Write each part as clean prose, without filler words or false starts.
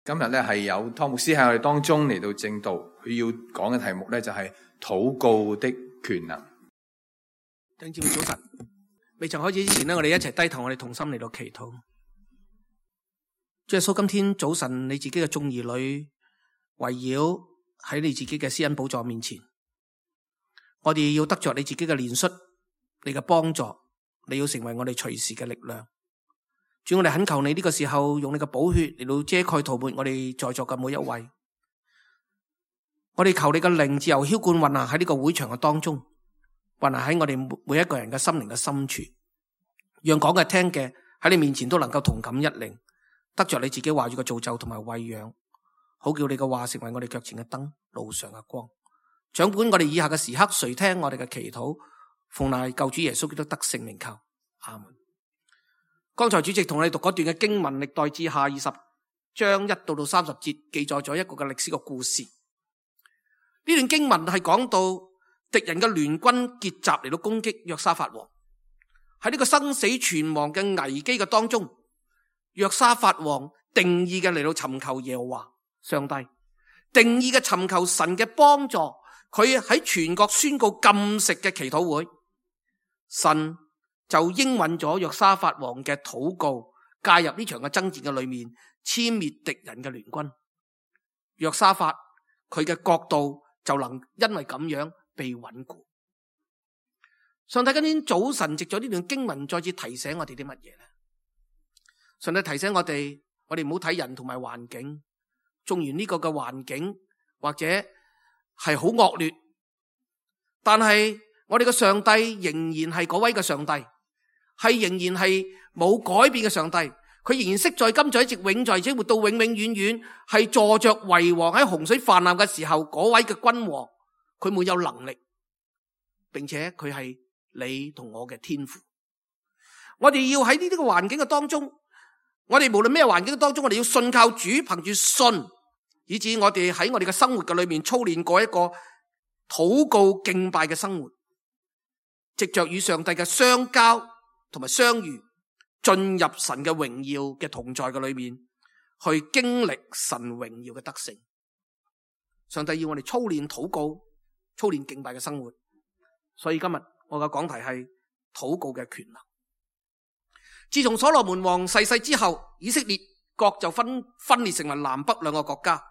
今日咧係有湯牧師喺我哋當中嚟到證道，佢要講嘅題目咧就係禱告的權能。弟兄姊妹早晨，未曾開始之前呢，我哋一齊低頭，我哋同心嚟到祈禱。主耶穌，今天早晨你自己嘅眾兒女圍繞喺你自己嘅施恩寶座面前，我哋要得着你自己嘅憐恤，你嘅幫助，你要成為我哋隨時嘅力量。主，我哋懇求你呢個時候用你嘅寶血嚟到遮蓋塗抹我哋在座嘅每一位。我哋求你嘅靈自由澆灌運行喺呢個會場嘅當中，運行喺我哋每一個人嘅心靈嘅深處，讓講嘅聽嘅喺你面前都能夠同感一靈，得着你自己話語嘅造就同埋餵養，好叫你嘅話成為我哋腳前嘅燈，路上嘅光。掌管我哋以下嘅時刻，垂聽我哋嘅祈禱，奉賴救主耶穌基督得聖名求，阿門。剛才主席同我哋讀嗰段嘅經文，歷代志下20章1到30節，記載咗一個嘅歷史嘅故事。呢段經文係講到敵人嘅聯軍結集嚟到攻擊約沙法王。喺呢個生死存亡嘅危機嘅當中，約沙法王定意嘅嚟到尋求耶和華上帝，定意嘅尋求神嘅幫助。佢喺全國宣告禁食嘅祈禱會，神就應允咗約沙法王嘅禱告，介入呢場嘅爭戰嘅裏面，殲滅敵人嘅聯軍。約沙法佢嘅國度就能因為咁樣被穩固。上帝今天早晨藉咗呢段經文再次提醒我哋啲乜嘢呢？上帝提醒我哋唔好睇人同埋環境，縱然呢個嘅環境或者係好惡劣，但係我哋嘅上帝仍然係嗰位嘅上帝，係仍然係冇改變嘅上帝。佢仍然昔在今在一直永在，而且活到永永遠遠，係坐着為王。喺洪水泛濫嘅時候，嗰位嘅君王，佢沒有能力，並且佢係你同我嘅天父。我哋要喺呢啲嘅環境嘅當中，我哋無論咩環境嘅當中，我哋要信靠主，憑住信，以至我哋喺我哋嘅生活嘅裏面操練過一個禱告敬拜嘅生活，藉着與上帝嘅相交同埋相遇，進入神嘅榮耀嘅同在嘅裏面，去經歷神榮耀嘅得勝。上帝要我哋操練禱告、操練敬拜嘅生活。所以今日我嘅講題係禱告嘅權能。自從所羅門王逝世之後，以色列國就分裂成為南北兩個國家。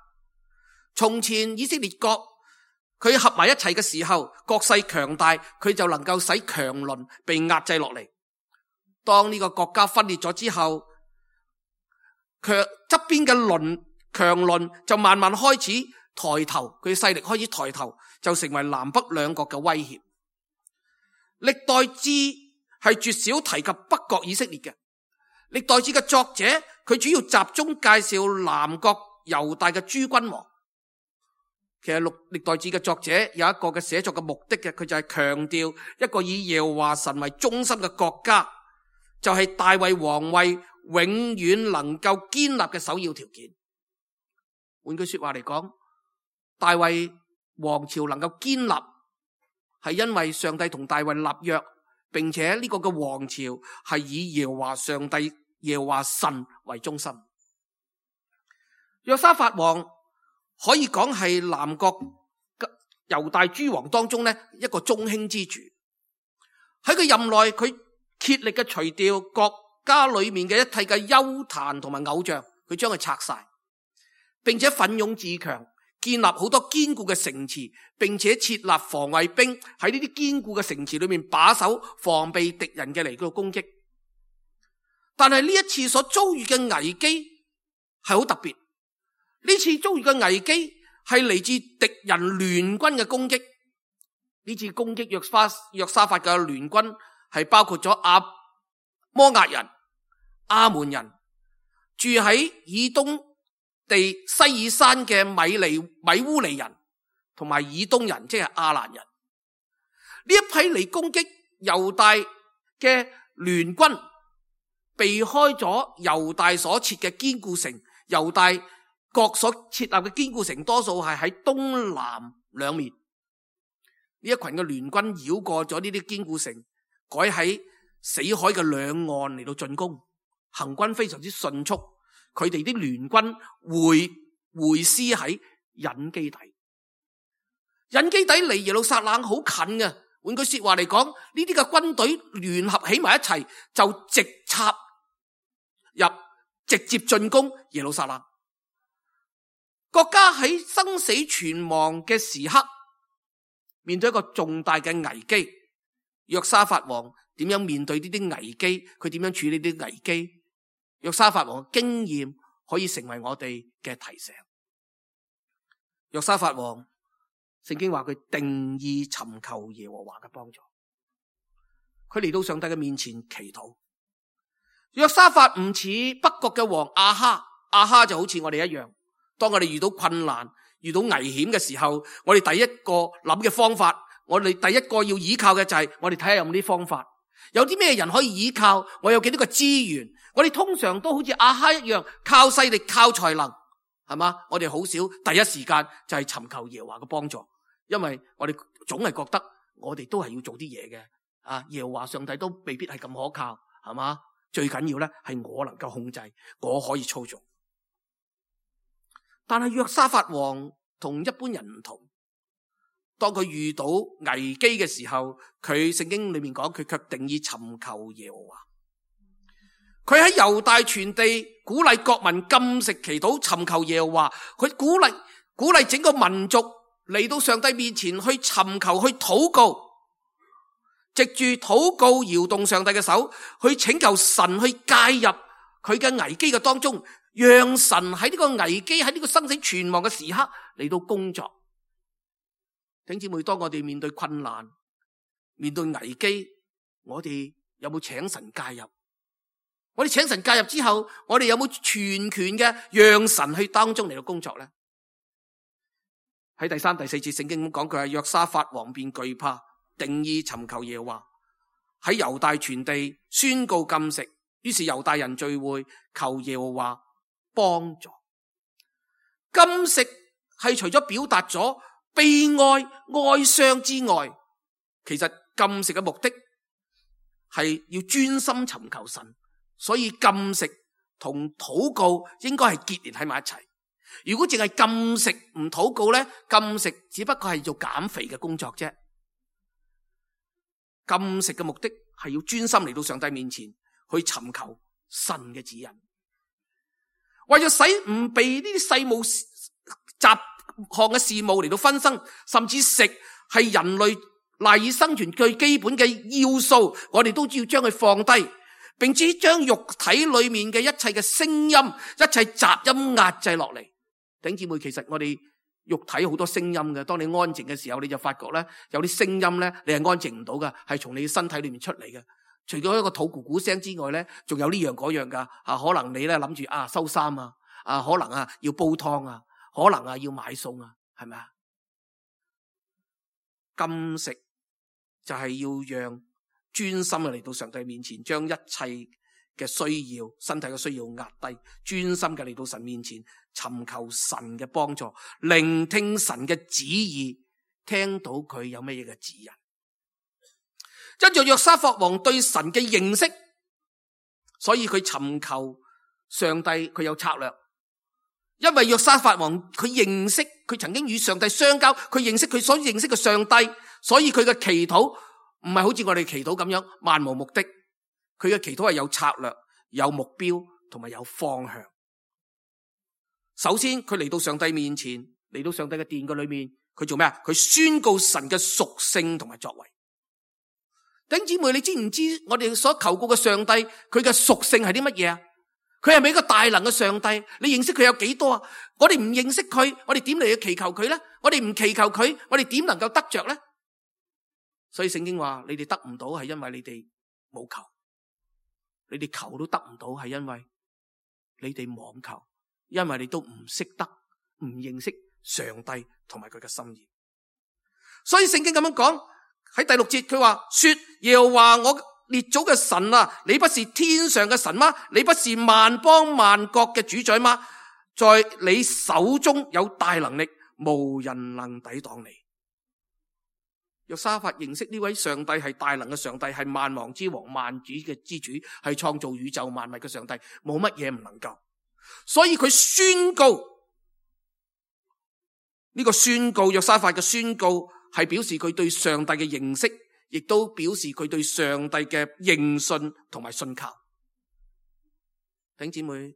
從前以色列國佢合埋一齊嘅時候，國勢強大，佢就能夠使強鄰被壓制落嚟。當呢個國家分裂咗之後，側邊嘅強鄰就慢慢開始抬頭，佢勢力開始抬頭，就成為南北兩國嘅威脅。歷代志係絕少提及北國以色列嘅。歷代志嘅作者佢主要集中介紹南國猶大嘅諸君王。其實歷代志嘅作者有一個嘅寫作嘅目的嘅，佢就係強調一個以耶和華神為中心嘅國家，就係大衛王位永遠能夠堅立嘅首要條件。換句說話嚟講，大衛王朝能夠堅立，係因為上帝同大衛立約，並且呢個嘅王朝係以耶和華上帝、耶和華神為中心。約沙法王可以講係南國猶大諸王當中呢一個中興之主。喺佢任內，佢竭力嘅除掉國家裏面嘅一切嘅邱壇同埋偶像，佢將佢拆晒，並且奮勇自強，建立好多堅固嘅城池，並且設立防衛兵喺呢啲堅固嘅城池裏面把守，防備敵人嘅嚟到攻擊。但係呢一次所遭遇嘅危機係好特別。呢次遭遇嘅危機係嚟自敵人聯軍嘅攻擊。呢次攻擊約沙法嘅聯軍係包括咗摩押人、亞門人，住喺以東地西爾山嘅米烏尼人，同埋以東人，即係亞蘭人。呢一批嚟攻擊猶大嘅聯軍，避開咗猶大所設嘅堅固城。猶大國所設立嘅堅固城多數係喺東南兩面。呢一群嘅聯軍繞過咗呢啲堅固城，改喺死海嘅兩岸嚟到進攻，行軍非常之迅速。佢哋啲聯軍會師喺隱基底。隱基底離耶路撒冷好近嘅，換句說話嚟講，呢啲嘅軍隊聯合起埋一齊，就直插入，直接進攻耶路撒冷。國家喺生死存亡嘅時刻，面對一個重大嘅危機，約沙法王點樣面對呢啲危機？佢點樣處理呢啲危機？約沙法王嘅經驗可以成為我哋嘅提醒。約沙法王，聖經話佢定意尋求耶和華嘅幫助，佢嚟到上帝嘅面前祈禱。約沙法唔似北國嘅王亞哈，亞哈就好似我哋一樣，當我哋遇到困難、遇到危險嘅時候，我哋第一個諗嘅方法，我哋第一個要依靠嘅就係我哋睇下有冇啲方法，有啲咩人可以依靠，我有幾多個資源。我哋通常都好似亞哈一樣，靠勢力、靠才能，係嘛？我哋好少第一時間就係尋求耶和華嘅幫助，因為我哋總係覺得我哋都係要做啲嘢嘅。耶和華上帝都未必係咁可靠，係嘛？最緊要咧係我能夠控制，我可以操縱。但係約沙法王同一般人唔同，當佢遇到危機嘅時候，佢聖經裏面講佢卻定意尋求耶和華。佢喺猶大全地鼓勵國民禁食祈禱，尋求耶和華。佢鼓勵整個民族嚟到上帝面前去尋求，去禱告，藉住禱告搖動上帝嘅手，去請求神去介入佢嘅危機嘅當中，讓神喺呢個危機，喺呢個生死存亡嘅時刻嚟到工作。弟兄姊妹，當我哋面對困難、面對危機，我哋有冇請神介入？我哋請神介入之後，我哋有冇全權嘅讓神去當中嚟到工作呢？喺第3、第4節聖經講，佢係約沙法王便懼怕，定意尋求耶和華，喺猶大全地宣告禁食，於是猶大人聚會求耶和華幫助。禁食係除咗表達咗悲哀、哀傷之外，其實禁食嘅目的係要專心尋求神。所以禁食同禱告應該係結連喺埋一齊。如果淨係禁食唔禱告咧，禁食只不過係做減肥嘅工作啫。禁食嘅目的係要專心嚟到上帝面前去尋求神嘅指引，為咗使唔被呢啲世務雜項嘅事務嚟到分身，甚至食係人類賴以生存最基本嘅要素，我哋都要將佢放低。並且將肉體裏面嘅一切嘅聲音、一切雜音壓制落嚟。弟兄姊妹，其實我哋肉體好多聲音嘅，當你安靜嘅時候，你就發覺咧，有啲聲音咧，你係安靜唔到噶，係從你身體裏面出嚟嘅。除咗一個肚咕咕聲之外咧，仲有呢樣嗰樣噶。可能你咧諗住收衫啊，可能要煲湯啊，可能要買餸啊，係咪啊？禁食就係要讓專心嘅嚟到上帝面前，將一切嘅需要、身體嘅需要壓低，專心嘅嚟到神面前，尋求神嘅幫助，聆聽神嘅旨意，聽到佢有乜嘢嘅指引。跟住約沙法王對神嘅認識，所以佢尋求上帝，佢有策略。因為約沙法王佢認識，佢曾經與上帝相交，佢認識佢所認識嘅上帝，所以佢嘅祈禱唔係好似我哋祈禱咁樣漫無目的，佢嘅祈禱係有策略、有目標同埋有方向。首先佢嚟到上帝面前，嚟到上帝嘅殿嘅裏面，佢做咩啊？佢宣告神嘅屬性同埋作為。弟兄姊妹，你知唔知我哋所求告嘅上帝佢嘅屬性係啲乜嘢啊？佢係咪一個大能嘅上帝？你認識佢有幾多啊？我哋唔認識佢，我哋點嚟去祈求佢咧？我哋唔祈求佢，我哋點能夠得着咧？所以聖經話，你哋得唔到係因為你哋冇求，你哋求都得唔到係因為你哋妄求，因為你都唔識得、唔認識上帝同埋佢嘅心意。所以聖經咁樣講喺第6節，佢話說，耶和華我列祖嘅神啊，你不是天上嘅神嗎？你不是萬邦萬國嘅主宰嗎？在你手中有大能力，無人能抵擋你。約沙法認識呢位上帝係大能嘅上帝，係萬王之王、萬主嘅之主，係創造宇宙萬物嘅上帝，冇乜嘢唔能夠。所以佢宣告，呢個宣告，約沙法嘅宣告係表示佢對上帝嘅認識，亦都表示佢對上帝嘅認信同埋信靠。弟兄姊妹，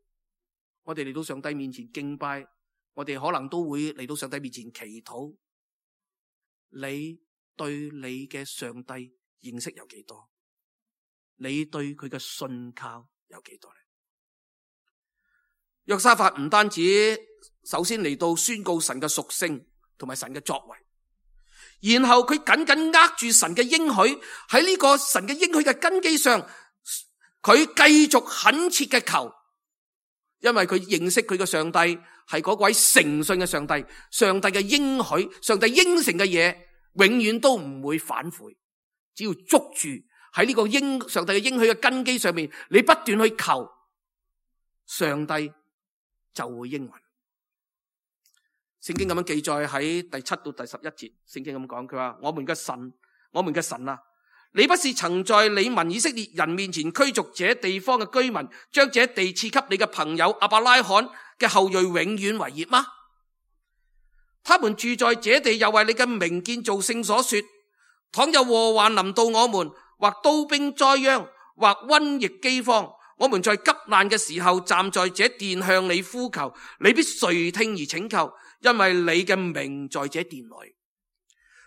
我哋嚟到上帝面前敬拜，我哋可能都會嚟到上帝面前祈禱。你對你嘅上帝認識有幾多？你對佢嘅信靠有幾多呢？約沙法唔單止首先嚟到宣告神嘅屬性同埋神嘅作為，然後佢緊緊握住神嘅應許，喺呢個神嘅應許嘅根基上，佢繼續懇切嘅求，因為佢認識佢嘅上帝係嗰位誠信嘅上帝，上帝嘅應許，上帝應承嘅嘢永遠都唔會反悔，只要捉住喺呢個上帝嘅應許嘅根基上面，你不斷去求，上帝就會應允。聖經咁樣記載喺第7到第11節，聖經咁講，佢話：我們嘅神啊，你不是曾在你民以色列人面前驅逐這地方嘅居民，將這地賜給你嘅朋友亞伯拉罕嘅後裔永遠為業嗎？他們住在這地，又為你嘅名建造聖所，說：倘有禍患臨到我們，或刀兵災殃，或瘟疫饑荒，我們在急難嘅時候站在這殿向你呼求，你必垂聽而拯救，因為你嘅名在這殿內。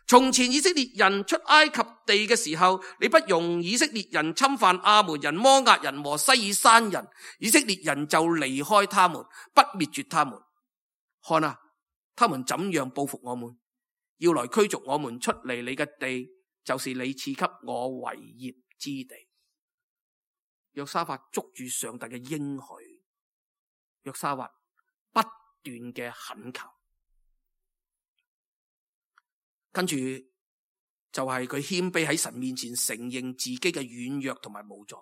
從前以色列人出埃及地嘅時候，你不容以色列人侵犯亞捫人、摩押人和西珥山人，以色列人就離開他們，不滅絕他們。看啊，他們怎樣報復我們，要來驅逐我們出離你嘅地，就是你賜給我為業之地。約沙法捉住上帝嘅應許，約沙法不斷嘅懇求，跟住就係佢謙卑喺神面前承認自己嘅軟弱同埋無助。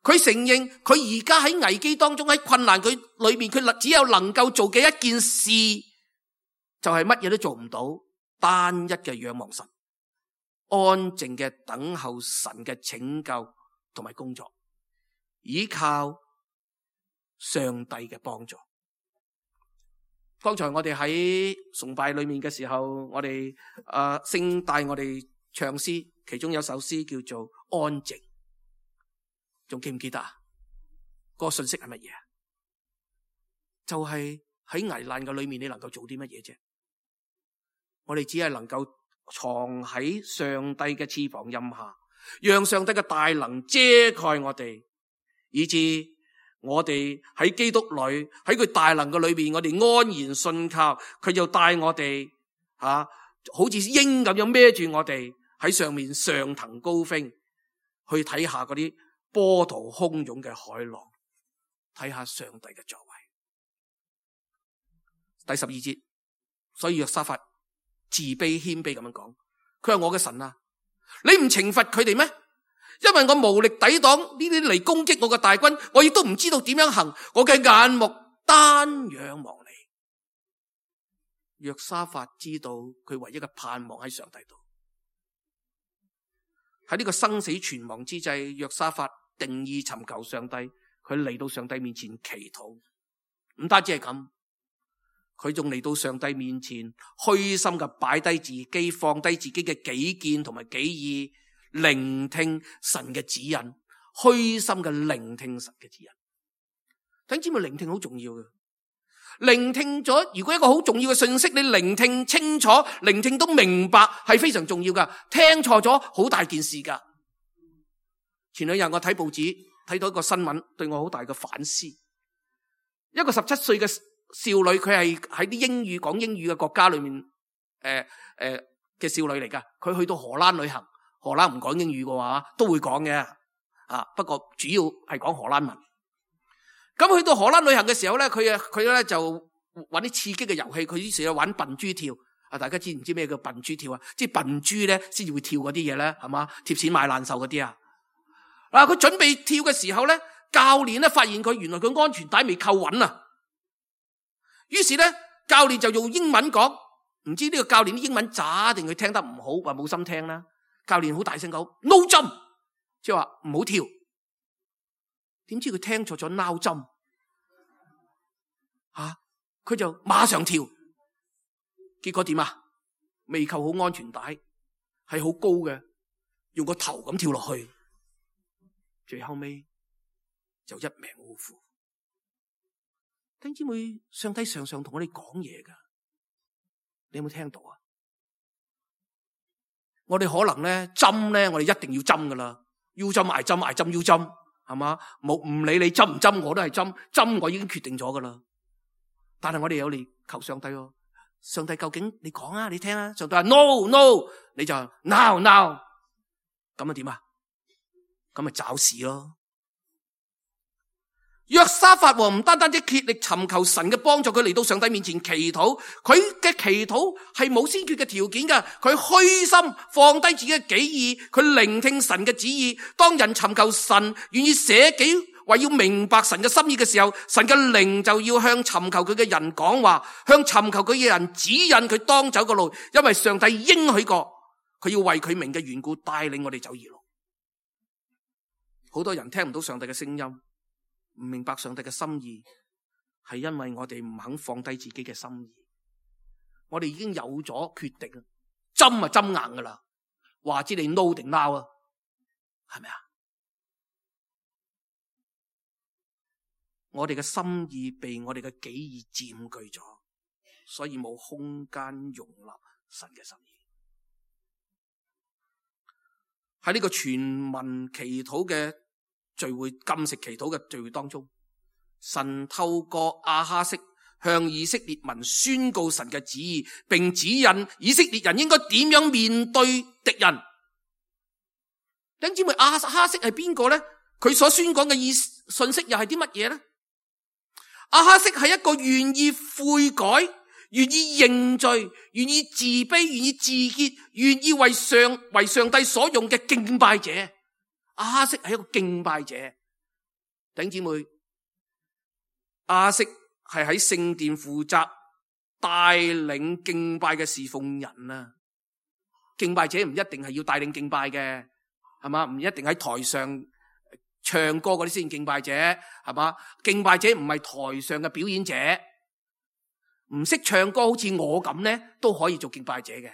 佢承認佢而家喺危機當中，喺困難佢裏面，佢只有能夠做嘅一件事，就係乜嘢都做唔到，單一嘅仰望神，安靜嘅等候神嘅拯救同埋工作，依靠上帝嘅幫助。剛才我哋喺崇拜裏面嘅時候，我哋聖帶我哋唱詩，其中有首詩叫做安靜，仲記唔記得啊？嗰個信息係乜嘢？就係喺危難嘅裏面，你能夠做啲乜嘢啫？我哋只係能夠藏喺上帝嘅翅膀蔭下，讓上帝嘅大能遮蓋我哋，以致我哋喺基督裏，喺佢大能嘅裏邊，我哋安然信靠，佢就帶我哋好似鷹咁樣孭住我哋喺上面上騰高飛，去睇下嗰啲波濤洶湧嘅海浪，睇下上帝嘅作為。第12節，所以約沙法自卑謙卑咁樣講，佢話：我嘅神啊，你唔懲罰佢哋咩？因為我無力抵擋呢啲嚟攻擊我嘅大軍，我亦都唔知道點樣行，我嘅眼目單仰望你。約沙法知道佢唯一嘅盼望喺上帝度。喺呢個生死存亡之際，約沙法定意尋求上帝，佢嚟到上帝面前祈禱。唔單止係咁，佢仲嚟到上帝面前虛心嘅擺低自己，放低自己嘅己見同埋己意，聆聽神嘅指引，虛心嘅聆聽神嘅指引。弟兄姊妹，聆聽好重要嘅。聆聽咗，如果一個好重要嘅信息，你聆聽清楚，聆聽都明白，係非常重要噶。聽錯咗，好大件事噶。前兩日我睇報紙，睇到一個新聞，對我好大嘅反思。一個17歲嘅少女，佢係喺啲講英語嘅國家裏面，嘅少女嚟噶。佢去到荷蘭旅行，荷蘭唔講英語嘅話，都會講嘅。不過主要係講荷蘭文。咁去到荷蘭旅行嘅時候咧，佢咧就玩啲刺激嘅遊戲，佢於是去玩笨豬跳。大家知唔知咩叫笨豬跳啊？即係笨豬咧先至會跳嗰啲嘢咧，係嘛？貼錢買難受嗰啲啊！佢準備跳嘅時候咧，教練咧發現佢原來佢安全帶未扣穩啊！於是咧，教練就用英文講，唔知呢個教練啲英文渣定佢聽得唔好，話冇心聽啦。教練好大聲講 no jump， 即係話唔好跳。點知佢聽錯咗 now jump，佢就馬上跳，結果點啊？未扣好安全帶，係好高嘅，用個頭咁跳落去，最後尾就一命嗚呼。弟兄姊妹，上帝常常同我哋講嘢噶，你有冇聽到啊？我哋可能咧針咧，我哋一定要針噶啦，要針挨針挨針要針，係嘛？冇唔理你針唔針，我都係針，針我已經決定咗噶啦。但係我哋有嚟求上帝喎，上帝究竟你講啊，你聽啊，上帝話 no no， 你就 now now， 咁啊點啊？咁咪找事咯。約沙法王唔單單只竭力尋求神嘅幫助，佢嚟到上帝面前祈禱，佢嘅祈禱係冇先決嘅條件噶，佢虛心放低自己嘅己意，佢聆聽神嘅旨意。當人尋求神，願意捨己為要明白神嘅心意嘅時候，神嘅靈就要向尋求佢嘅人講話，向尋求佢嘅人指引佢當走嘅路，因為上帝應許過，佢要為佢名嘅緣故帶領我哋走義路。好多人聽唔到上帝嘅聲音，唔明白上帝嘅心意，係因為我哋唔肯放低自己嘅心意。我哋已經有咗決定，針啊針硬噶啦，話知你 no 定 now 啊，係咪啊？我哋嘅心意被我哋嘅己意佔據咗，所以冇空間容納神嘅心意。喺呢個全民祈禱嘅聚會，禁食祈禱嘅聚會當中，神透過亞哈悉向以色列民宣告神嘅旨意，並指引以色列人應該點樣面對敵人。弟兄姊妹，亞哈悉係邊個呢？佢所宣講嘅信息又係啲乜嘢呢？亞哈悉係一個願意悔改、願意認罪、願意自卑、願意自潔、願意為上帝所用嘅敬拜者。亞哈悉係一個敬拜者。弟兄姊妹，亞哈悉係喺聖殿負責帶領敬拜嘅侍奉人啊。敬拜者唔一定係要帶領敬拜嘅，係嘛？唔一定喺台上唱歌嗰啲先敬拜者，係嘛？敬拜者唔係台上嘅表演者，唔識唱歌好似我咁咧，都可以做敬拜者嘅。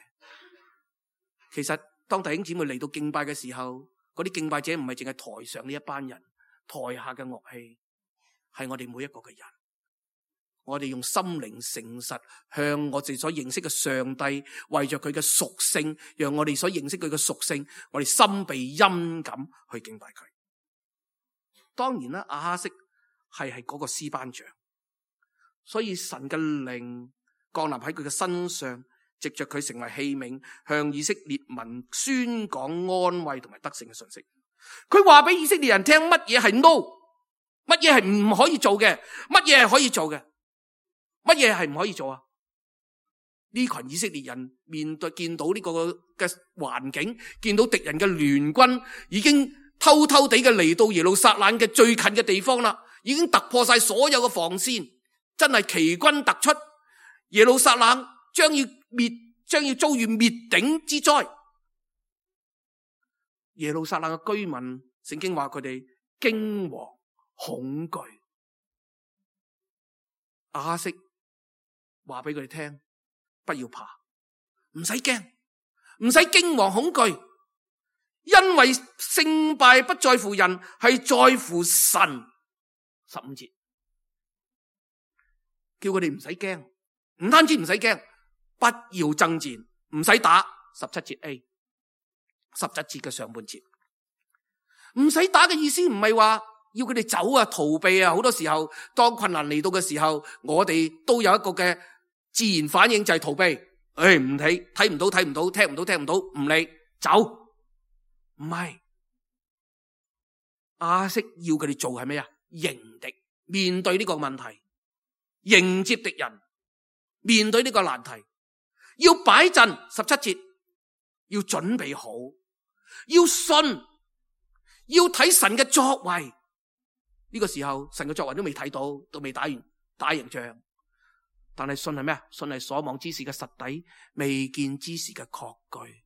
其實當弟兄姊妹嚟到敬拜嘅時候，嗰啲敬拜者唔係淨係台上呢一班人，台下嘅樂器係我哋每一個嘅人。我哋用心靈誠實向我哋所認識嘅上帝，為着佢嘅屬性，讓我哋所認識佢嘅屬性，我哋心被恩感去敬拜佢。當然啦，亞哈悉係嗰個詩班長，所以神嘅靈降臨喺佢嘅身上，藉着佢成為器皿，向以色列民宣講安慰同埋得勝嘅信息。佢話俾以色列人聽乜嘢係 no， 乜嘢係唔可以做嘅，乜嘢係可以做嘅，乜嘢係唔可以做啊？呢群以色列人見到呢個嘅環境，見到敵人嘅聯軍已經偷偷地嘅嚟到耶路撒冷嘅最近嘅地方啦，已經突破晒所有嘅防線，真係奇軍突出，耶路撒冷將要遭遇滅頂之災。耶路撒冷嘅居民，聖經話佢哋驚惶恐懼。亞哈悉話俾佢哋聽，不要怕，唔使驚，唔使驚惶恐懼。因為勝敗不在乎人，係在乎神。15節叫佢哋唔使驚，唔單止唔使驚，不要爭戰，唔使打。17節 A， 17節嘅上半節，唔使打嘅意思唔係話要佢哋走啊、逃避啊。好多時候當困難嚟到嘅時候，我哋都有一個嘅自然反應，就係逃避。唔睇，睇唔到，聽唔到，唔理，走。唔係，亞哈悉要佢哋做係咩啊？迎敵，面對呢個問題，迎接敵人，面對呢個難題，要擺陣。17節要準備好，要信，要睇神嘅作為。呢個時候神嘅作為都未睇到，都未打贏仗，但係信係咩啊？信係所望之事嘅實底，未見之事嘅確據。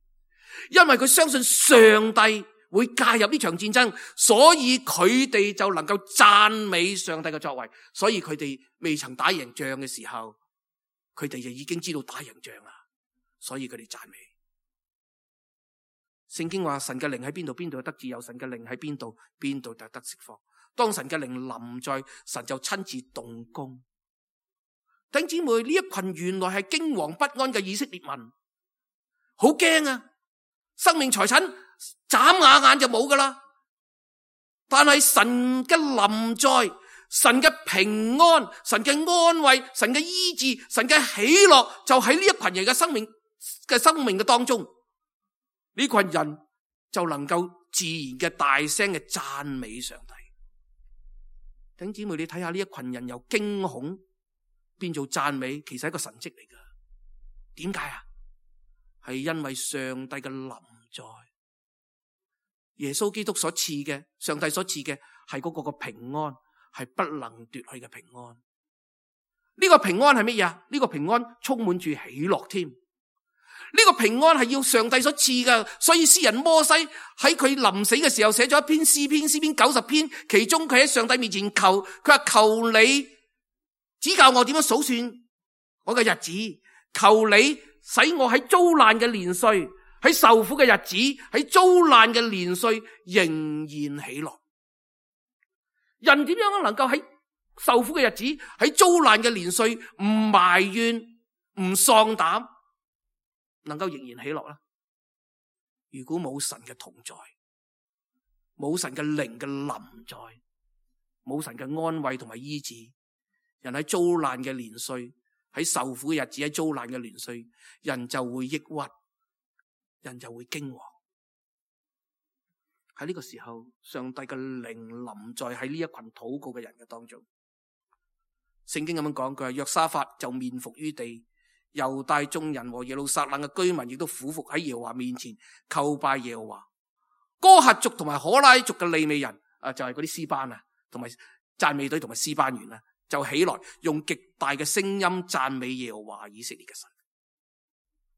因為佢相信上帝會介入呢場戰爭，所以佢哋就能夠讚美上帝嘅作為。所以佢哋未曾打贏仗嘅時候，佢哋就已經知道打贏仗啦，所以佢哋讚美。聖經話神嘅靈喺邊度，邊度得自由；神嘅靈喺邊度，邊度就得釋放。當神嘅靈臨在，神就親自動工。弟兄姊妹，呢一群原來係驚惶不安嘅以色列民，好驚啊！生命財產眨下眼就冇噶啦。但係神嘅臨在，神嘅平安，神嘅安慰，神嘅醫治，神嘅喜樂，就喺呢一群人嘅生命嘅當中。呢群人就能夠自然嘅大聲嘅讚美上帝。弟兄姊妹，你睇下呢一群人由驚恐變做讚美，其實係一個神蹟嚟噶。點解啊？係因為上帝嘅臨在，耶穌基督所賜嘅，上帝所賜嘅係嗰個平安，係不能奪去嘅平安。呢個平安係乜嘢啊？呢個平安充滿住喜樂添。呢個平安係要上帝所賜嘅，所以詩人摩西喺佢臨死嘅時候寫咗一篇詩篇90篇，其中佢喺上帝面前求，佢話求你指教我點樣數算我嘅日子，求你使我喺遭難嘅年歲，喺受苦嘅日子，喺遭難嘅年歲仍然喜樂。人點樣能夠喺受苦嘅日子，喺遭難嘅年歲唔埋怨唔喪膽，能夠仍然喜樂啦？如果冇神嘅同在，冇神嘅靈嘅臨在，冇神嘅安慰同埋醫治，人喺遭難嘅年歲，喺受苦嘅日子，喺遭難嘅年歲，人就會抑鬱，人就會驚惶。喺呢個時候，上帝嘅靈臨在喺呢一群禱告嘅人嘅當中。聖經咁樣講，佢話約沙法就面伏於地，猶大眾人和耶路撒冷嘅居民亦都俯伏喺耶和華面前叩拜耶和華。哥轄族同埋可拉族嘅利未人就係嗰啲詩班啊，同埋讚美隊同埋詩班員啊，就起來用極大嘅聲音讚美耶和華以色列嘅神。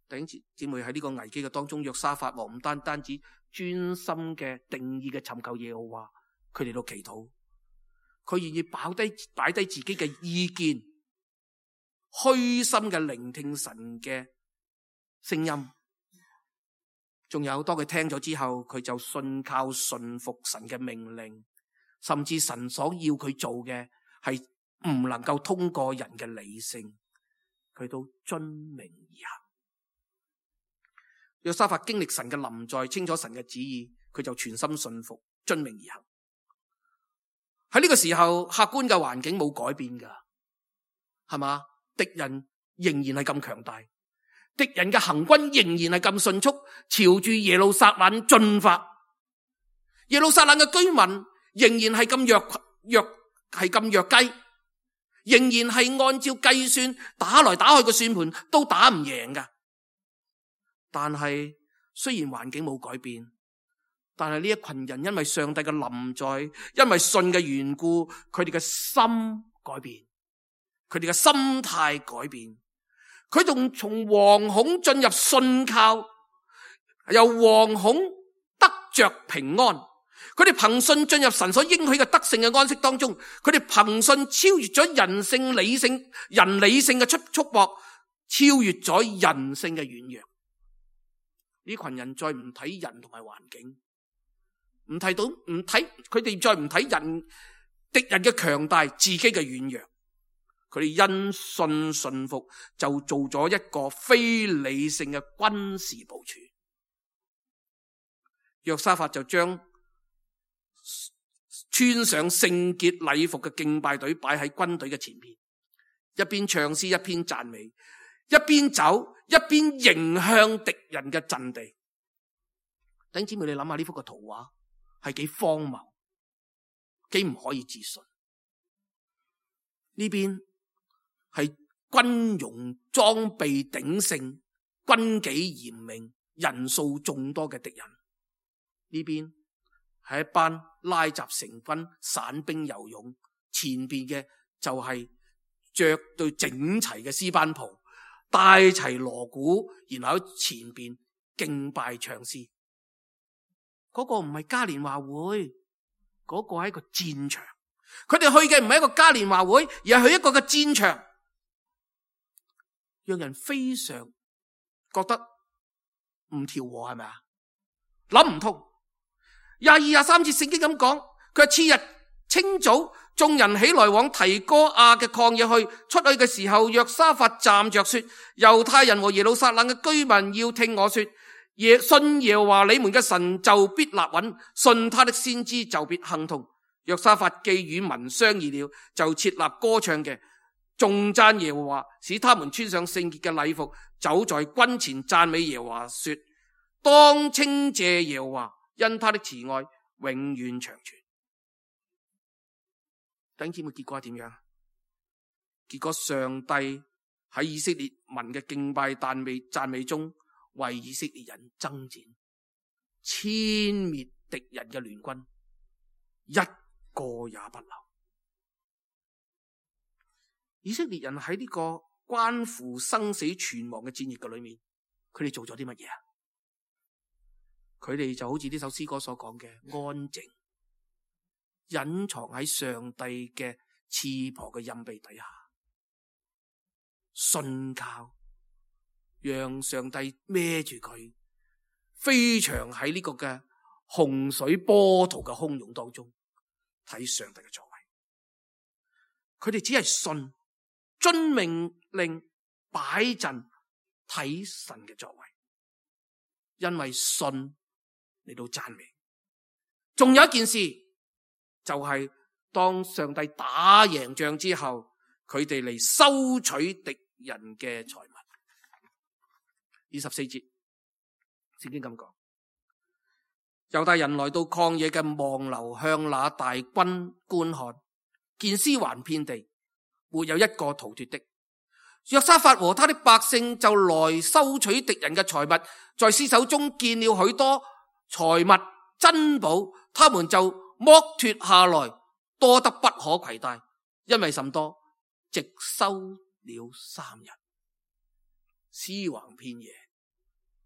弟兄姊妹，喺呢個危機嘅當中，約沙法王唔單止專心嘅定義嘅尋求耶和華，佢哋都祈禱，佢願意擺低自己嘅意見，虛心嘅聆聽神嘅聲音。仲有當佢聽咗之後，佢就信靠順服神嘅命令，甚至神所要佢做嘅係唔能夠通過人嘅理性，佢都遵命而行。約沙法經歷神嘅臨在，清楚神嘅旨意，佢就全心信服，遵命而行。喺呢個時候，客觀嘅環境冇改變噶，係嘛？敵人仍然係咁強大，敵人嘅行軍仍然係咁迅速，朝住耶路撒冷進發。耶路撒冷嘅居民仍然係咁弱雞，仍然係按照計算打來打去嘅算盤都打唔贏噶。但係雖然環境冇改變，但係呢一群人因為上帝嘅臨在，因為信嘅緣故，佢哋嘅心改變，佢哋嘅心態改變，佢仲從惶恐進入信靠，由惶恐得着平安。佢哋憑信進入神所應許嘅得勝嘅安息當中，佢哋憑信超越咗人理性嘅束縛，超越咗人性嘅軟弱。呢群人再唔睇人同埋環境，佢哋再唔睇敵人嘅強大，自己嘅軟弱，佢哋因信順服，就做咗一個非理性嘅軍事部署。約沙法就將穿上聖潔禮服嘅敬拜隊擺喺軍隊嘅前面，一邊唱詩一邊讚美，一邊走一邊迎向敵人嘅陣地。弟兄姊妹，你諗下呢幅嘅圖畫係幾荒謬，幾唔可以置信。呢邊係軍容裝備鼎盛、軍紀嚴明、人數眾多嘅敵人，呢邊係一班拉雜成軍、散兵游勇，前邊嘅就係着對整齊嘅詩班袍，帶齊鑼鼓，然後喺前邊敬拜唱詩。嗰個唔係嘉年華會，嗰個係一個戰場。佢哋去嘅唔係一個嘉年華會，而係去一個嘅戰場，讓人非常覺得唔調和，係咪啊？諗唔通。22、23節聖經咁講，佢話次日清早，眾人起來往提哥亞嘅曠野去。出去嘅時候，約沙法站着說：猶太人和耶路撒冷嘅居民要聽我說，信耶和華你們嘅神就必立穩，信他的先知就必亨通。約沙法既與民商議了，就設立歌唱嘅，頌讚耶和華，使他們穿上聖潔嘅禮服，走在軍前讚美耶和華，說：當稱謝耶和華，因他的慈愛永遠長存。弟兄姊妹，結果係點樣？結果上帝喺以色列民嘅敬拜讚美中，為以色列人爭戰，殲滅敵人嘅聯軍，一個也不留。以色列人喺呢個關乎生死存亡嘅戰役嘅裏面，佢哋做咗啲乜嘢啊？佢哋就好似呢首詩歌所講嘅，安靜隱藏喺上帝嘅翅膀嘅蔭庇底下，信靠，讓上帝孭住佢，飛翔喺呢個嘅洪水波濤嘅洶湧當中，睇上帝嘅作為。佢哋只係信，遵命令，擺陣，睇神嘅作為，因為信嚟到讚美。仲有一件事，就係當上帝打贏仗之後，佢哋嚟收取敵人嘅財物。24節聖經咁講，猶大人來到曠野嘅望樓，向那大軍觀看，見屍橫遍地，沒有一個逃脫的。約沙法和他的百姓就來收取敵人嘅財物，在屍首中見了許多財物珍寶，他們就剝脫下來，多得不可攜帶，因為甚多，直收了3日，屍橫遍野。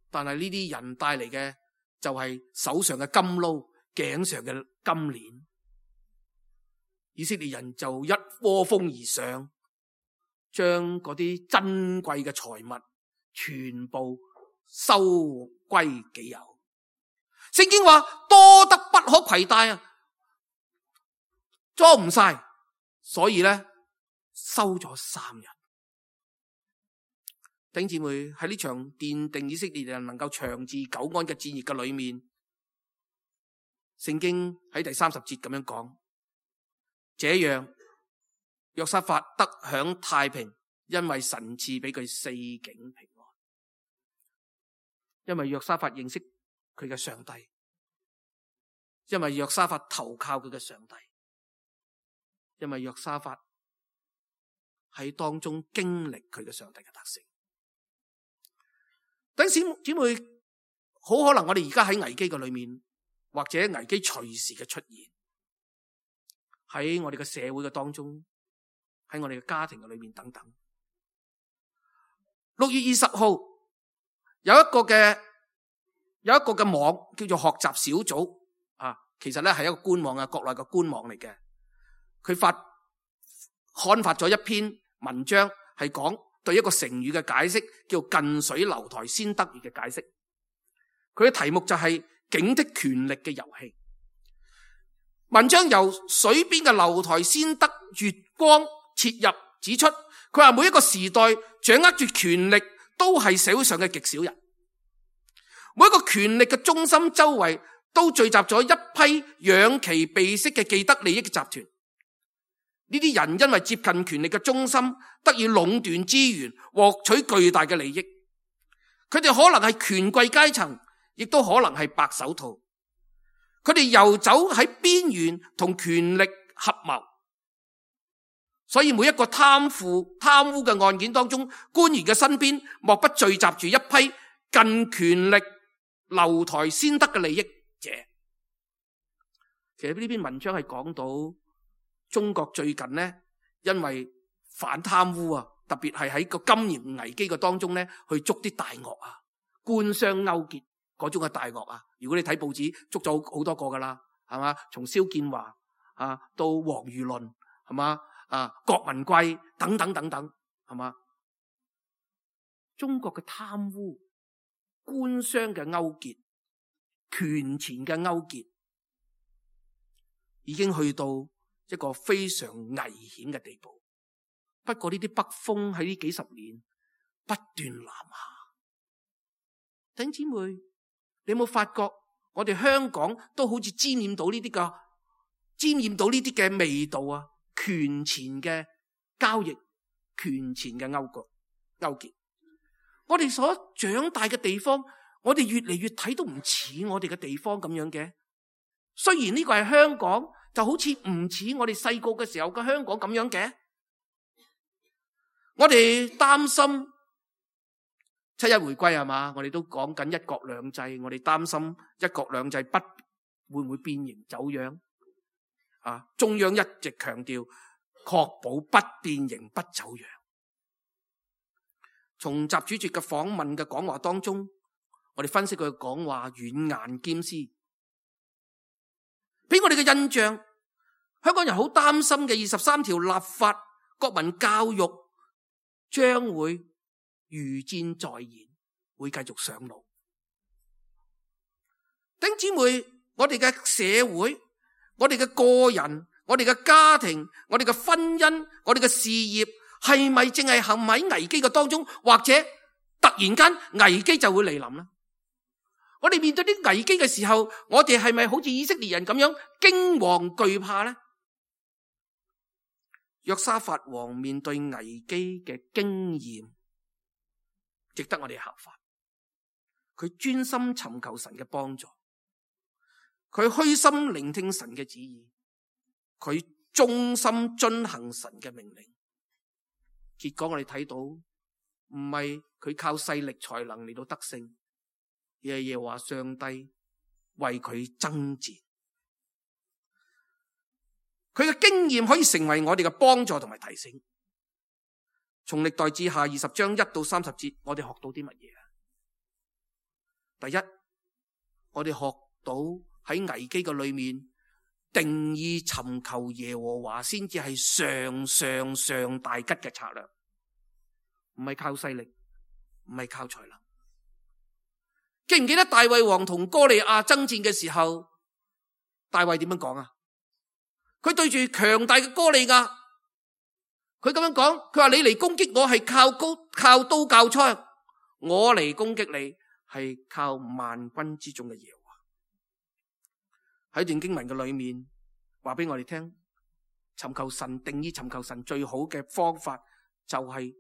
但係呢啲人帶嚟嘅就係手上嘅金撈，頸上嘅金鏈。以色列人就一窩蜂而上，將嗰啲珍貴嘅財物全部收歸己有。聖經話多得不可攜帶啊，裝唔晒，所以咧收咗3日。弟兄姊妹，喺呢場奠定以色列人能夠長治久安嘅戰役嘅裏面，聖經喺第30節咁樣講，這樣約沙法得享太平，因為神賜俾佢四境平安。因為約沙法認識佢嘅上帝，因為約沙法投靠佢嘅上帝，因為約沙法喺當中經歷佢嘅上帝嘅特性。弟兄姊妹，好可能我哋而家喺危機嘅裏面，或者危機隨時嘅出現，喺我哋嘅社會嘅當中，喺我哋嘅家庭嘅裏面等等。6月20號有一個嘅網叫做學習小組啊，其實咧係一個官網啊，國內嘅官網嚟嘅。佢刊發咗一篇文章，係講對一個成語嘅解釋，叫近水樓台先得月嘅解釋。佢嘅題目就係警的權力嘅遊戲。文章由水邊嘅樓台先得月光切入指出，佢話每一個時代掌握住權力都係社會上嘅極少人，每一個權力嘅中心周圍都聚集咗一批養其鼻息嘅既得利益嘅集團。呢啲人因為接近權力嘅中心，得以壟斷資源，獲取巨大嘅利益。佢哋可能係權貴階層，亦都可能係白手套。佢哋游走喺邊緣，同權力合謀。所以每一個貪污嘅案件當中，官員嘅身邊莫不聚集住一批近權力樓台先得嘅利益者。其實呢篇文章係講到中國最近呢，因為反貪污啊，特別係喺個金融危機嘅當中呢，去捉啲大鱷啊，官商勾結嗰種嘅大鱷啊，如果你睇報紙，捉咗好多個噶啦，係嘛？從蕭建華到黃裕倫，係嘛？郭文貴等等等等，係嘛？中國嘅貪污、官商嘅勾結、權錢嘅勾結，已經去到一個非常危險嘅地步。不過呢啲北風喺呢幾十年不斷南下。弟兄姊妹，你有冇發覺我哋香港都好似沾染到呢啲嘅味道啊？權錢嘅交易、權錢嘅勾結。我哋所長大嘅地方，我哋越嚟越睇都唔似我哋嘅地方咁樣嘅。雖然呢個係香港，就好似唔似我哋細個嘅時候嘅香港咁樣嘅。我哋擔心七一回歸係嘛？我哋都講緊一國兩制，我哋擔心一國兩制會唔會變形走樣？中央一直強調確保不變形不走樣。從習主席嘅訪問嘅講話當中，我哋分析佢嘅講話軟硬兼施，俾我哋嘅印象，香港人好擔心嘅23條立法、國民教育將會如箭在弦，會繼續上路。弟兄姊妹，我哋嘅社會，我哋嘅個人，我哋嘅家庭，我哋嘅婚姻，我哋嘅事業，係咪淨係陷喺危機嘅當中，或者突然間危機就會嚟臨呢？我哋面對啲危機嘅時候，我哋係咪好似以色列人咁樣驚惶懼怕呢？約沙法王面對危機嘅經驗，值得我哋效法。佢專心尋求神嘅幫助，佢虛心聆聽神嘅旨意，佢忠心遵行神嘅命令。結果我哋睇到，唔係佢靠勢力才能嚟到得勝，而係耶和華上帝為佢爭戰。佢嘅經驗可以成為我哋嘅幫助同埋提醒。從歷代志下20章1到30節，我哋學到啲乜嘢啊？第一，我哋學到喺危機嘅裏面，定義尋求耶和華先至係上大吉嘅策略，唔係靠勢力，唔係靠才能。記唔記得大衛王同哥利亞爭戰嘅時候，大衛點樣講啊？佢對住強大嘅哥利亞，佢咁樣講，佢話你嚟攻擊我係靠刀靠槍，我嚟攻擊你係靠萬軍之中嘅耶和華。喺段經文嘅裏面話俾我哋聽，尋求神，定義尋求神最好嘅方法就係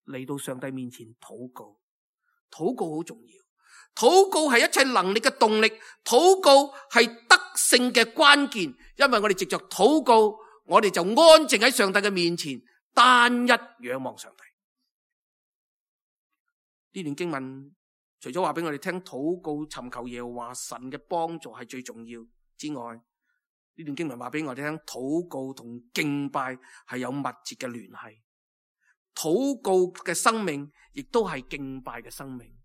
嚟到上帝面前禱告。禱告好重要，禱告係一切能力嘅動力，禱告係得勝嘅關鍵。因為我哋藉着禱告，我哋就安靜喺上帝嘅面前，單一仰望上帝。呢段經文除咗話俾我哋聽禱告尋求耶和華神嘅幫助係最重要之外，呢段經文話俾我哋聽禱告同敬拜係有密切嘅聯繫。禱告嘅生命亦都係敬拜嘅生命。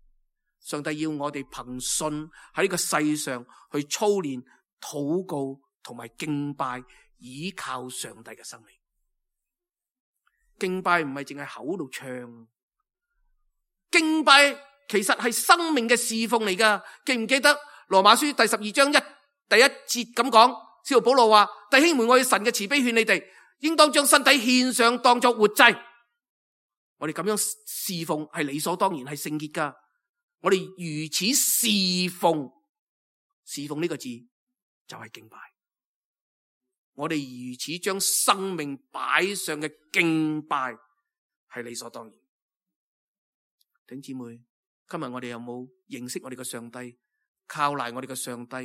上帝要我哋憑信喺呢個世上去操練禱告同埋敬拜，倚靠上帝嘅生命。敬拜唔係淨係口度唱，敬拜其實係生命嘅侍奉嚟噶。記唔記得羅馬書第12章第一節咁講？使徒保羅話：弟兄們，我以神嘅慈悲勸你哋，應當將身體獻上，當作活祭。我哋咁樣侍奉係理所當然，係聖潔噶。我哋如此侍奉，侍奉呢個字就係敬拜。我哋如此將生命擺上嘅敬拜係理所當然。弟兄姊妹，今日我哋有冇認識我哋嘅上帝，靠賴我哋嘅上帝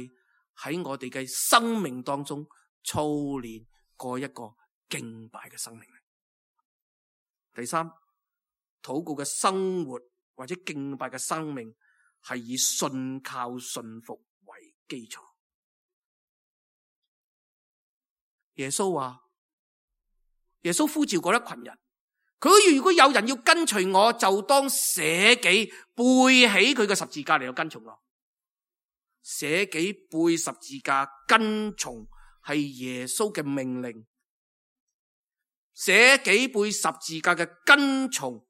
喺我哋嘅生命當中操練過一個敬拜嘅生命？第三，禱告嘅生活或者敬拜嘅生命係以信靠信服為基礎。耶穌話，耶穌呼召過一群人，佢如果有人要跟隨我，就當捨己，背起佢嘅十字架嚟到跟從我。捨己背十字架跟從係耶穌嘅命令，捨己背十字架嘅跟從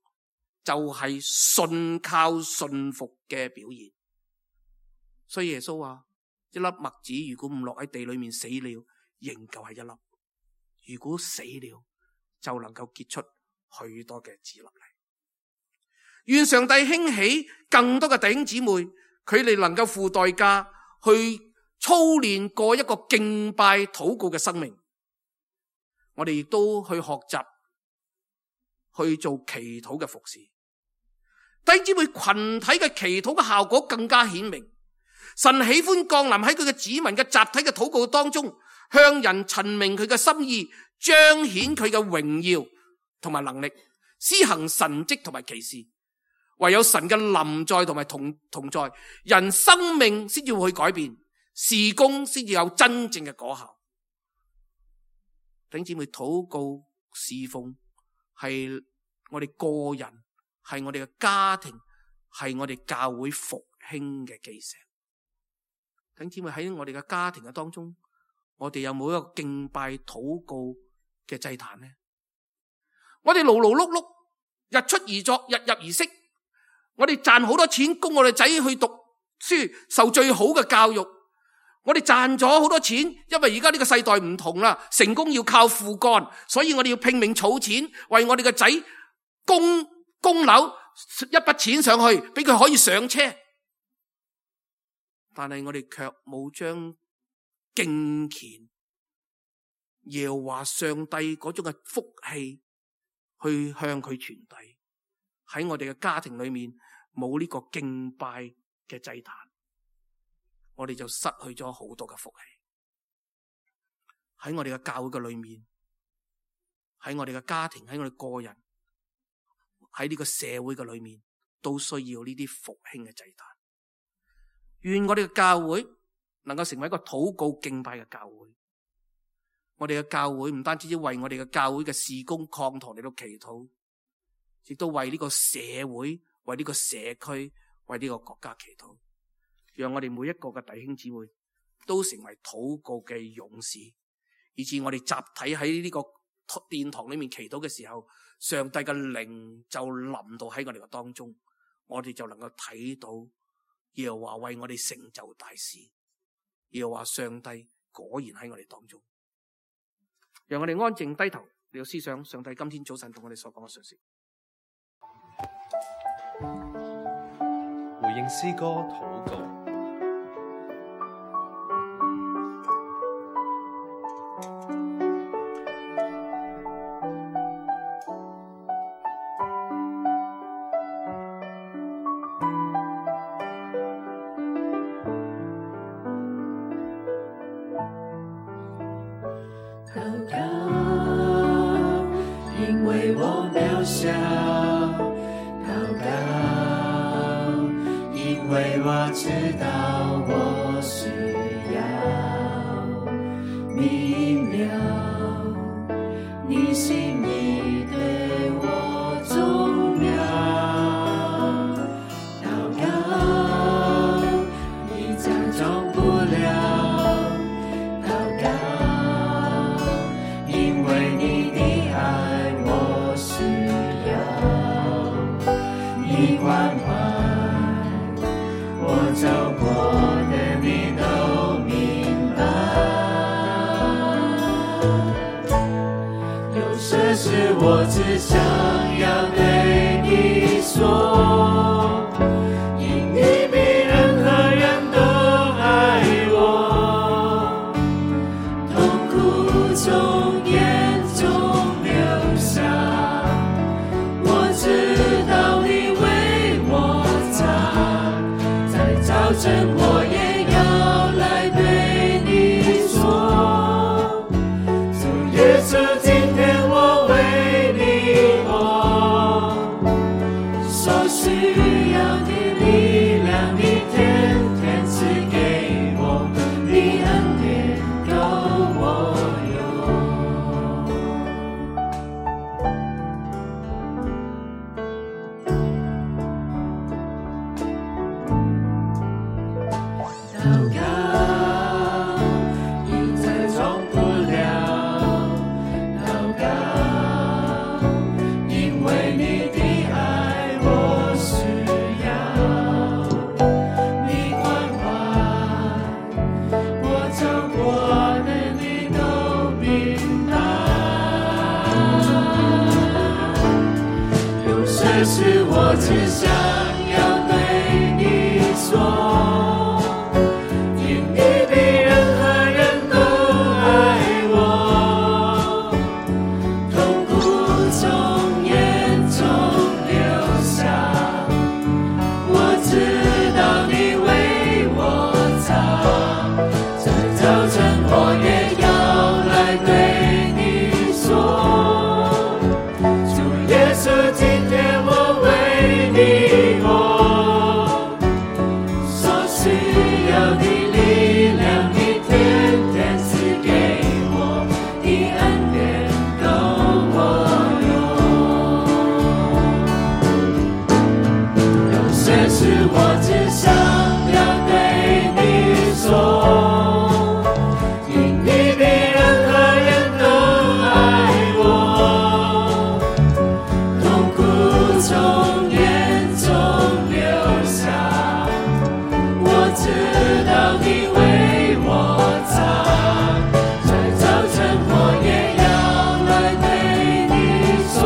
就係信靠信服嘅表現。所以耶穌話，一粒麥子如果唔落喺地裏面死了，仍舊係一粒；如果死了，就能夠結出許多嘅子粒嚟。願上帝興起更多嘅弟兄姊妹，佢哋能夠付代價去操練過一個敬拜禱告嘅生命。我哋亦都去學習去做祈禱嘅服侍。弟兄姊妹，群體嘅祈禱嘅效果更加顯明。神喜歡降臨喺佢嘅子民嘅集體嘅禱告當中，向人陳明佢嘅心意，彰顯佢嘅榮耀同埋能力，施行神蹟同埋奇事。唯有神嘅臨在同埋同在，人生命先至會去改變，事工先至有真正嘅果效。弟兄姊妹，禱告侍奉係我哋個人，係我哋嘅家庭，係我哋教會復興嘅基石。弟兄姊妹，喺我哋嘅家庭嘅當中，我哋有冇一個敬拜禱告嘅祭壇呢？我哋勞勞碌碌，日出而作，日入而息，我哋賺好多錢供我哋仔去讀書，受最好嘅教育。我哋賺咗好多錢，因為而家呢個世代唔同啦，成功要靠父幹，所以我哋要拼命儲錢，為我哋嘅仔供樓，一筆錢上去，俾佢可以上車。但係我哋卻冇將敬虔耶和華上帝嗰種嘅福氣去向佢傳遞。喺我哋嘅家庭裏面冇呢個敬拜嘅祭壇，我哋就失去咗好多嘅福氣。喺我哋嘅教會嘅裏面，喺我哋嘅家庭，喺我哋個人，喺呢個社會嘅裏面，都需要呢啲復興嘅祭壇。願我哋嘅教會能夠成為一個禱告敬拜嘅教會。我哋嘅教會唔單止要為我哋嘅教會嘅事工擴堂嚟到祈禱，亦都為呢個社會、為呢個社區、為呢個國家祈禱。讓我哋每一個嘅弟兄姊妹都成為禱告嘅勇士，以致我哋集體喺呢個殿堂裏面祈禱嘅時候，上帝嘅靈就臨到喺我哋嘅當中，我哋就能夠睇到耶和華為我哋成就大事。耶和華上帝果然喺我哋當中。讓我哋安靜低頭嚟到思想上帝今天早晨同我哋所講嘅信息。回應詩歌禱告。我只想要對你說，因你比任何人都愛我，痛苦從眼中流下，我知道你為我擦，在早晨我也要來對你說，主耶穌今天我為禱我只想要对你说，因你比任何人都爱我，痛苦从眼中流下，我知道你为我擦，在早晨我也要来对你说，主耶稣，今天我为你活，所需要的力量你天天赐给我，你恩典够我用，有些事我只想要对你说，因你比任何人都爱我，痛苦从眼中流下，我知道你为我擦，在早晨我也要来对你说，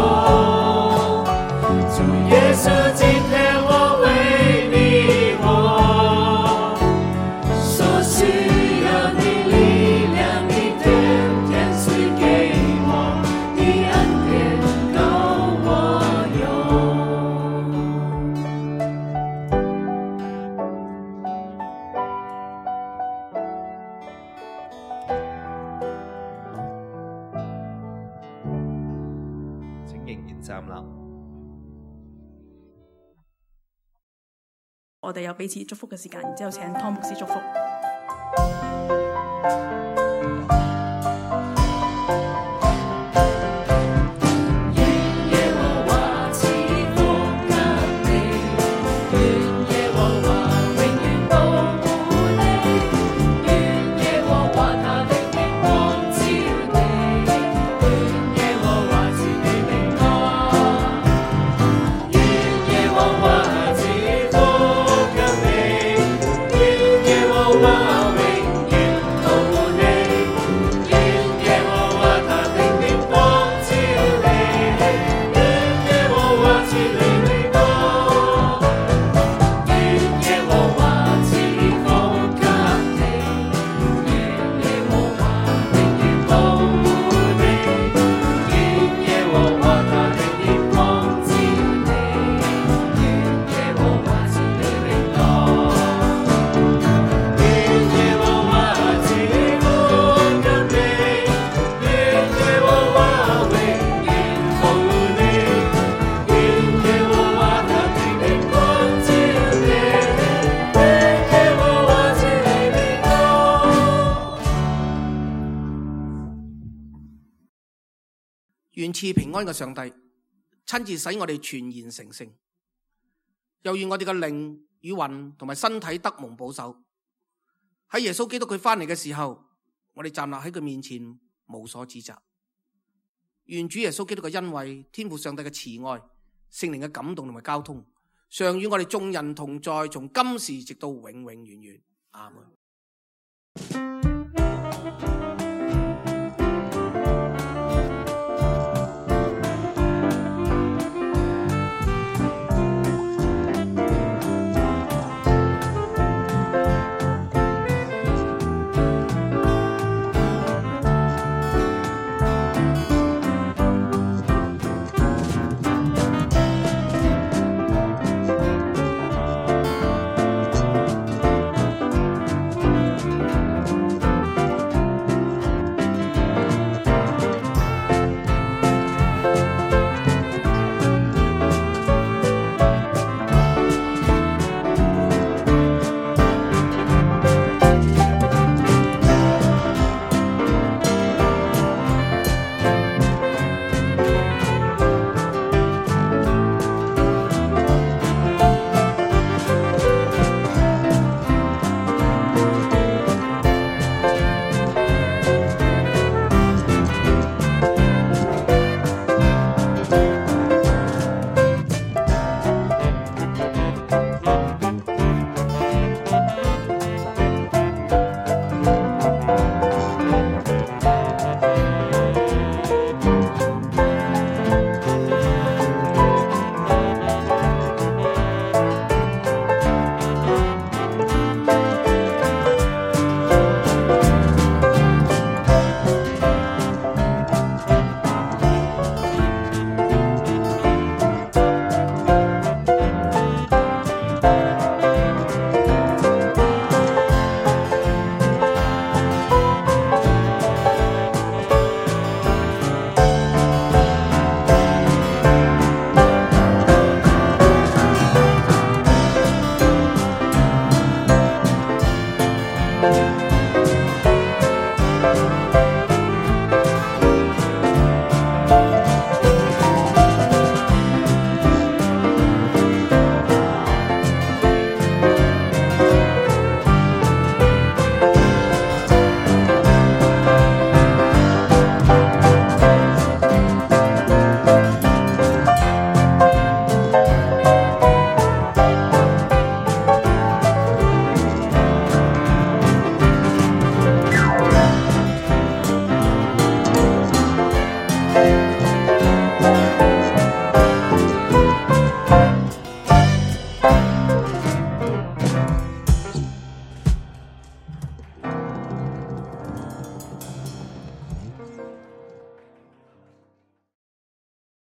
主耶稣，今天我为你活，所需要的力量你天天赐给我，你恩典够我用。請仍然站立。我哋有彼此祝福嘅時間，然之後請湯牧師祝福。耶和華賜福給你，願耶和華永遠保護你，願耶和華他的靈光照你，願耶和華賜你平安，願耶和華賜福給你，願耶和華永遠保護你，願耶和華他的靈光照你，願耶和華賜你平安，願耶和華賜福給你，願耶和華永遠保護你，願耶和華他的靈光照你，願耶和華賜你平安，願耶和華賜福給你，願耶和華永遠保護你，願耶和華他的靈光照你，願耶和華賜你平安。願賜平安嘅上帝親自使我哋全然成聖，又願我哋嘅靈與魂同埋身體得蒙保守。喺耶穌基督佢翻嚟嘅時候，我哋站立喺佢面前無所指責。願主耶穌基督嘅恩惠、天父上帝嘅慈愛、聖靈嘅感動同埋交通，常與我哋眾人同在，從今時直到永永遠遠。阿門。